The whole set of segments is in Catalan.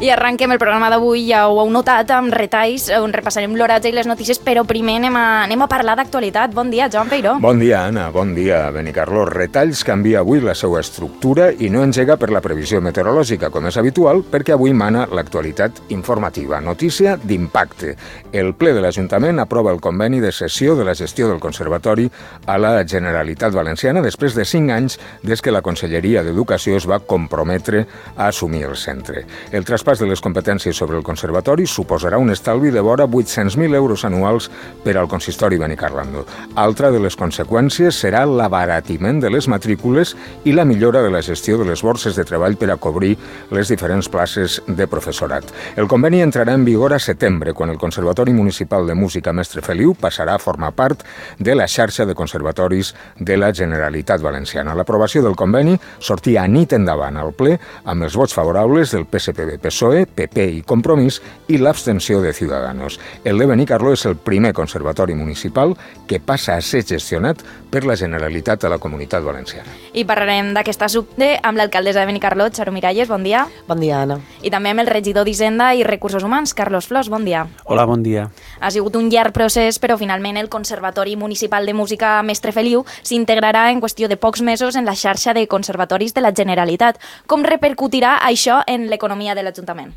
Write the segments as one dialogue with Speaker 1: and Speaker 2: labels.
Speaker 1: I arranquem el programa d'avui, ja ho heu notat, amb retalls on repassarem l'oratge i les notícies, però primer anem a parlar d'actualitat. Bon dia, Joan Peiró.
Speaker 2: Bon dia, Anna. Bon dia, Benicarló. Retalls canvia avui la seva estructura i no engega per la previsió meteorològica, com és habitual, perquè avui mana l'actualitat informativa. Notícia d'impacte. El ple de l'Ajuntament aprova el conveni de cessió de la gestió del Conservatori a la Generalitat Valenciana després de 5 anys des que la Conselleria d'Educació es va comprometre a assumir el centre. El traspàs de les competències sobre el Conservatori suposarà un estalvi de vora 800.000 euros anuals per al consistori Benicarló. Altra de les conseqüències serà l'abaratiment de les matrícules i la millora de la gestió de les borses de treball per a cobrir les diferents places de professorat. El conveni entrarà en vigor a setembre, quan el Conservatori Municipal de Música Mestre Feliu passarà a formar part de la xarxa de conservatoris de la Generalitat Valenciana. L'aprovació del conveni sortia a nit endavant al ple amb els vots favorables del PSPB, PSOE, PP i Compromís i l'abstenció de Ciudadanos. El de Benicarló és el primer conservatori municipal que passa a ser gestionat per la Generalitat de la Comunitat Valenciana.
Speaker 1: I parlarem d'aquest assumpte amb l'alcaldessa de Benicarló, Charo Miralles, bon dia.
Speaker 3: Bon dia, Anna.
Speaker 1: I també amb el regidor d'Hisenda i Recursos Humans, Carlos Flors, bon dia.
Speaker 4: Hola, bon dia.
Speaker 1: Ha sigut un llarg procés, però finalment el Conservatori Municipal de Música Mestre Feliu s'integrarà en qüestió de pocs mesos en la xarxa de conservatoris de la Generalitat. Com repercutirà això en l'economia de l'Ajuntament?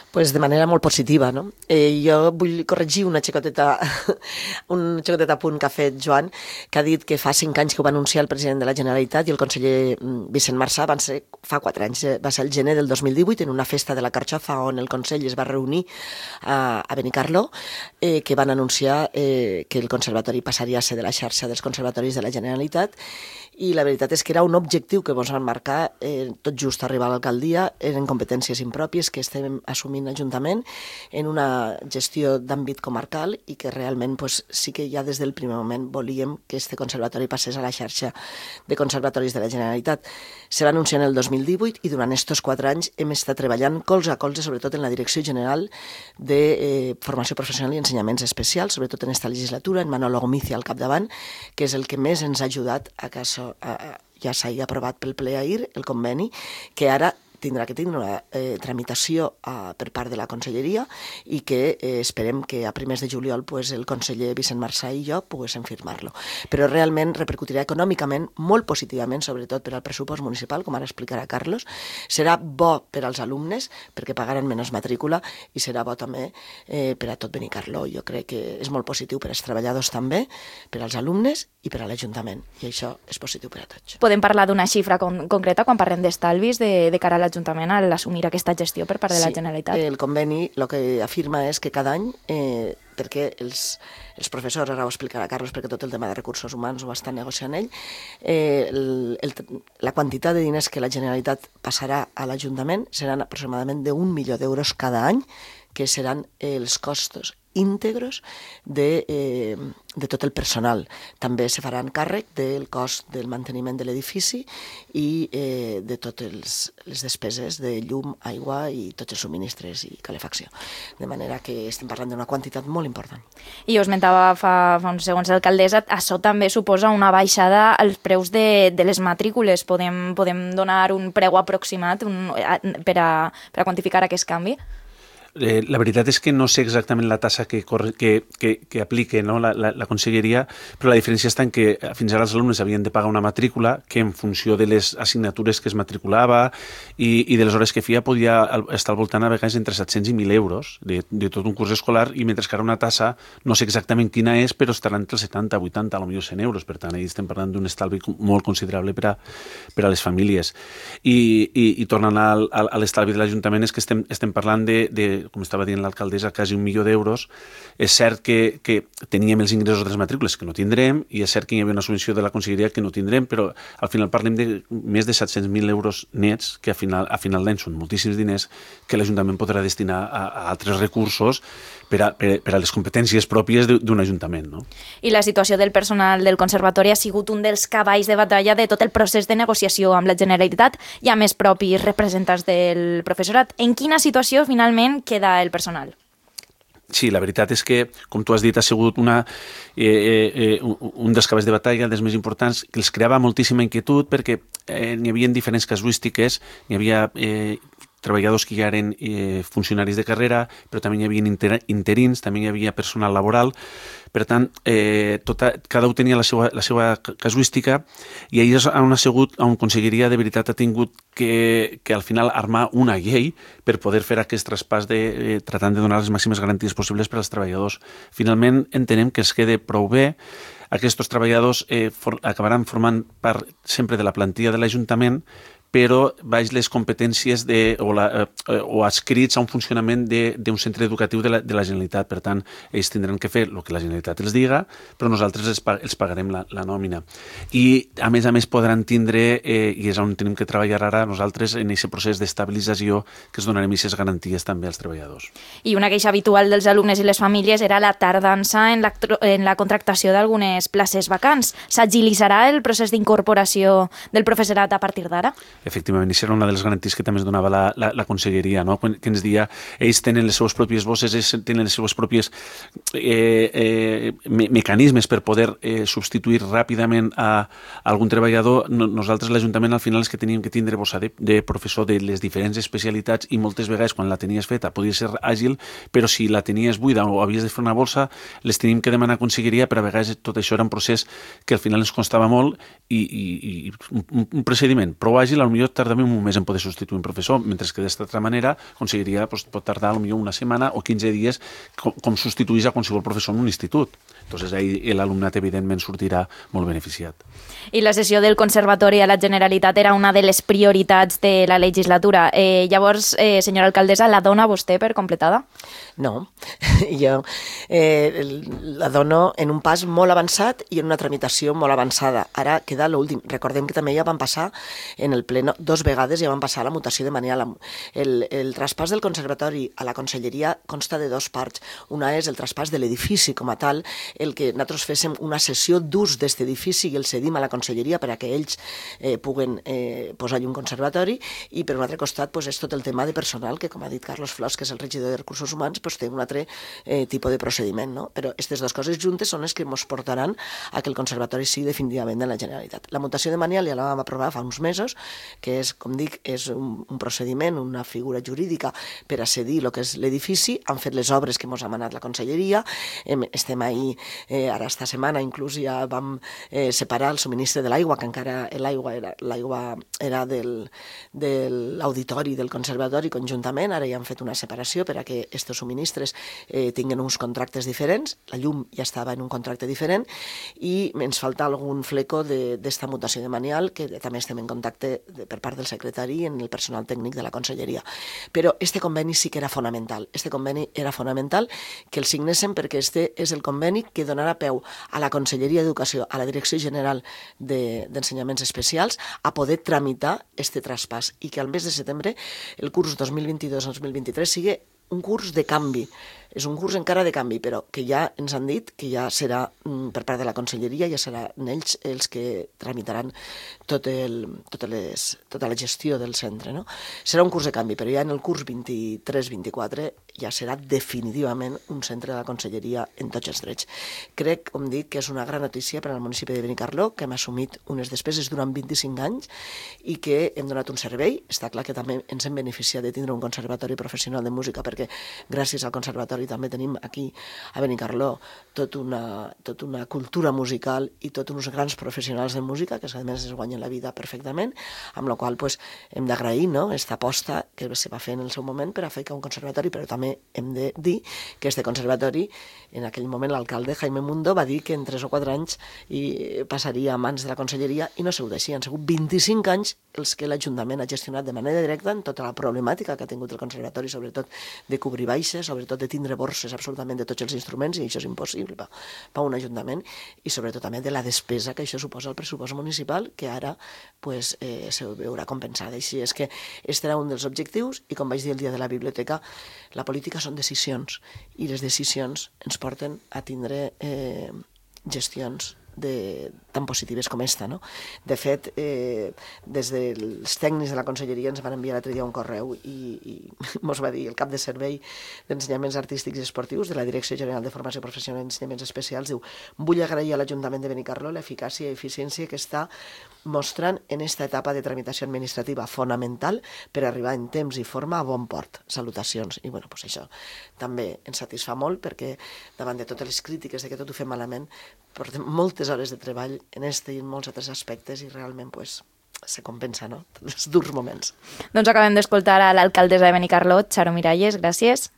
Speaker 3: Pues de manera molt positiva, no? Jo vull corregir un xicoteta punt que ha fet Joan, que ha dit que fa 5 anys que ho va anunciar el president de la Generalitat i el conseller Vicent Marsà, fa 4 anys, va ser el gener del 2018, en una festa de la Carxofa on el Consell es va reunir a Benicarló, que van anunciar que el conservatori passaria a ser de la xarxa dels conservatoris de la Generalitat, i la veritat és que era un objectiu que ens van marcar tot just arribar a l'alcaldia, eren competències impròpies que estem assumint l'Ajuntament en una gestió d'àmbit comarcal i que realment sí que ja des del primer moment volíem que este conservatori passés a la xarxa de conservatoris de la Generalitat. Se va anunciar en el 2018 i durant aquests 4 anys hem estat treballant colze a colze, sobretot en la Direcció General de Formació Professional i Ensenyaments Especials, sobretot en esta legislatura, en Manolo Gomicia al capdavant, que és el que més ens ha ajudat a que això ja s'hagi aprovat pel ple ahir, el conveni, que ara tindrà que tindre una tramitació per part de la Conselleria i que esperem que a primers de juliol el conseller Vicent Marsà i jo poguéssim firmar-lo. Però realment repercutirà econòmicament molt positivament, sobretot per al pressupost municipal, com ara explicarà Carlos. Serà bo per als alumnes perquè pagaran menys matrícula i serà bo també per a tot Benicarló. Jo crec que és molt positiu per als treballadors també, per als alumnes i per a l'Ajuntament. I això és positiu per a tots.
Speaker 1: Podem parlar d'una xifra concreta quan parlem d'estalvis de cara a l'Ajuntament a l'assumir aquesta gestió per part de la Generalitat?
Speaker 3: Sí, el conveni el que afirma és que cada any, perquè els professors, ara ho explicarà Carlos, perquè tot el tema de recursos humans ho està negociant ell, la quantitat de diners que la Generalitat passarà a l'Ajuntament seran aproximadament d'1 milió d'euros cada any, que seran els costos íntegros de tot el personal. També se faran càrrec del cost del manteniment de l'edifici i de totes les despeses de llum, aigua i tots els subministres i calefacció. De manera que estem parlant d'una quantitat molt important.
Speaker 1: I ho esmentava fa uns segons l'alcaldessa, això també suposa una baixada als preus de les matrícules. Podem donar un preu aproximat per a quantificar aquest canvi?
Speaker 4: La veritat és que no sé exactament la tassa que aplica la Conselleria, però la diferència està en que fins ara els alumnes havien de pagar una matrícula que en funció de les assignatures que es matriculava i de les hores que feia podia estar al voltant a vegades entre 700 i 1.000 euros de tot un curs escolar, i mentre que ara una tassa, no sé exactament quina és, però estarà entre els 70, 80, potser 100 euros. Per tant, estem parlant d'un estalvi molt considerable per a les famílies. I tornant a l'estalvi de l'Ajuntament, és que estem parlant de com estava dient l'alcaldessa, quasi 1 milió d'euros. És cert que teníem els ingressos de les matrícules que no tindrem, i és cert que hi havia una subvenció de la Conselleria que no tindrem, però al final parlem de més de 700.000 euros nets, que a final d'any són moltíssims diners que l'Ajuntament podrà destinar a altres recursos per a les competències pròpies d'un ajuntament, no?
Speaker 1: I la situació del personal del Conservatori ha sigut un dels cavalls de batalla de tot el procés de negociació amb la Generalitat i amb els propis representants del professorat. En quina situació finalment queda el personal?
Speaker 4: Sí, la veritat és que, com tu has dit, ha sigut un dels cavalls de batalla, dels més importants, que els creava moltíssima inquietud perquè n'hi havia diferents casuístiques, n'hi havia treballadors que ja eren funcionaris de carrera, però també hi havia interins, també hi havia personal laboral. Per tant, cada un tenia la seva casuística i ahir és on Conselleria de veritat ha tingut que al final armar una llei per poder fer aquest traspàs tratant de donar les màximes garanties possibles per als treballadors. Finalment, entenem que es queda prou bé. Aquests treballadors acabaran formant part sempre de la plantilla de l'Ajuntament, però baix les competències o adscrits a un funcionament d'un centre educatiu de la Generalitat. Per tant, ells tindran que fer el que la Generalitat els diga, però nosaltres els pagarem la nòmina. I, a més, podran tindre, i és on tenim que treballar ara nosaltres, en aquest procés d'estabilització, que es donarem aquestes garanties també als treballadors.
Speaker 1: I una queixa habitual dels alumnes i les famílies era la tardança en la contractació d'algunes places vacants. S'agilitzarà el procés d'incorporació del professorat a partir d'ara?
Speaker 4: Efectivament, això era una de les garanties que també ens donava la Conselleria, no? Que ens deia, ells tenen les seves pròpies bosses, ells tenen les seves pròpies mecanismes per poder substituir ràpidament a algun treballador. Nosaltres, l'Ajuntament, al final és que teníem que tindre bossa de professor de les diferents especialitats i moltes vegades, quan la tenies feta, podia ser àgil, però si la tenies buida o havies de fer una bolsa, les teníem que demanar a Conselleria, però a vegades tot això era un procés que al final ens costava molt i un procediment prou àgil, potser tardem un mes en poder substituir un professor, mentre que d'esta altra manera Conselleria pot tardar potser una setmana o 15 dies com substituís a qualsevol professor en un institut. Entonces ahí l'alumnat evidentment sortirà molt beneficiat.
Speaker 1: I la cessió del Conservatori a la Generalitat era una de les prioritats de la legislatura. Llavors, senyora alcaldessa, la dona vostè per completada?
Speaker 3: No, jo la dono en un pas molt avançat i en una tramitació molt avançada. Ara queda l'últim. Recordem que també ja van passar en el pleno 2 vegades, ja van passar la mutació de Manial. El traspàs del Conservatori a la Conselleria consta de 2 parts. Una és el traspàs de l'edifici com a tal, el que nosaltres féssim una sessió d'ús d'aquest edifici i el cedim a la Conselleria per a que ells puguen posar-hi un conservatori, i per un altre costat és tot el tema de personal, que com ha dit Carlos Flors, que és el regidor de Recursos Humans, té un altre tipus de procediment, no? Però aquestes dues coses juntes són les que ens portaran a que el conservatori sigui definitivament de la Generalitat. La mutació de Manial ja la vam aprovar fa uns mesos, que és, com dic, és un procediment, una figura jurídica per a cedir el que és l'edifici. Han fet les obres que ens ha manat la Conselleria, estem ahí, ara esta setmana inclús ja vam separar el subministre de l'aigua, que encara l'aigua era de l'auditori del conservatori conjuntament, ara ja han fet una separació per a que aquests subministres tinguin uns contractes diferents. La llum ja estava en un contracte diferent i ens falta algun fleco d'esta mutació de Manial, que també estem en contacte per part del secretari en el personal tècnic de la Conselleria. Però este conveni sí que era fonamental. Este conveni era fonamental que el signéssim, perquè este és el conveni que donarà peu a la Conselleria d'Educació, a la Direcció General d'Ensenyaments Especials, a poder tramitar este traspàs i que al mes de setembre el curs 2022-2023 sigui un curs de canvi. És un curs encara de canvi, però que ja ens han dit que ja serà per part de la Conselleria, ja seran ells els que tramitaran tota la gestió del centre, no? Serà un curs de canvi, però ja en el curs 23-24 ja serà definitivament un centre de la Conselleria en tots els drets. Crec, com dic, que és una gran notícia per al municipi de Benicarló, que hem assumit unes despeses durant 25 anys i que hem donat un servei. Està clar que també ens hem beneficiat de tindre un conservatori professional de música, perquè gràcies al conservatori també tenim aquí a Benicarló tota una cultura musical i tots uns grans professionals de música que a més es guanyen la vida perfectament, amb la qual cosa hem d'agrair aquesta aposta que se va fer en el seu moment per a fer un conservatori, però també hem de dir que este conservatori, en aquell moment l'alcalde Jaime Mundo va dir que en 3 o 4 anys passaria a mans de la Conselleria i no ha sigut així. Han sigut 25 anys els que l'Ajuntament ha gestionat de manera directa en tota la problemàtica que ha tingut el conservatori, sobretot de cobrir baixes, sobretot de tindre borses absolutament de tots els instruments, i això és impossible per un ajuntament, i sobretot també de la despesa que això suposa al pressupost municipal, que ara se veurà compensada. Així és que aquest era un dels objectius, i com vaig dir el dia de la biblioteca, la política són decisions, i les decisions ens porten a tindre gestions de tan positives com esta, no? De fet, des dels tècnics de la conselleria ens van enviar l'altre dia un correu i mos va dir el cap de servei d'ensenyaments artístics i esportius de la Direcció General de Formació Professional i Ensenyaments Especials, diu: vull agrair a l'Ajuntament de Benicarló l'eficàcia i eficiència que està mostrant en esta etapa de tramitació administrativa fonamental per arribar en temps i forma a bon port. Salutacions. I bueno, pues això també ens satisfà molt perquè davant de totes les crítiques de que tot ho fem malament, portem moltes hores de treball en este i en molts altres aspectes i realment pues, se compensa, no? Els durs moments.
Speaker 1: Doncs acabem d'escoltar a l'alcaldessa de Benicarló, Charo Miralles, gràcies,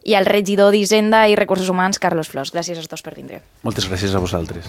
Speaker 1: i al regidor d'Hisenda i Recursos Humans, Carlos Flors. Gràcies a tots per vindre.
Speaker 4: Moltes gràcies a vosaltres.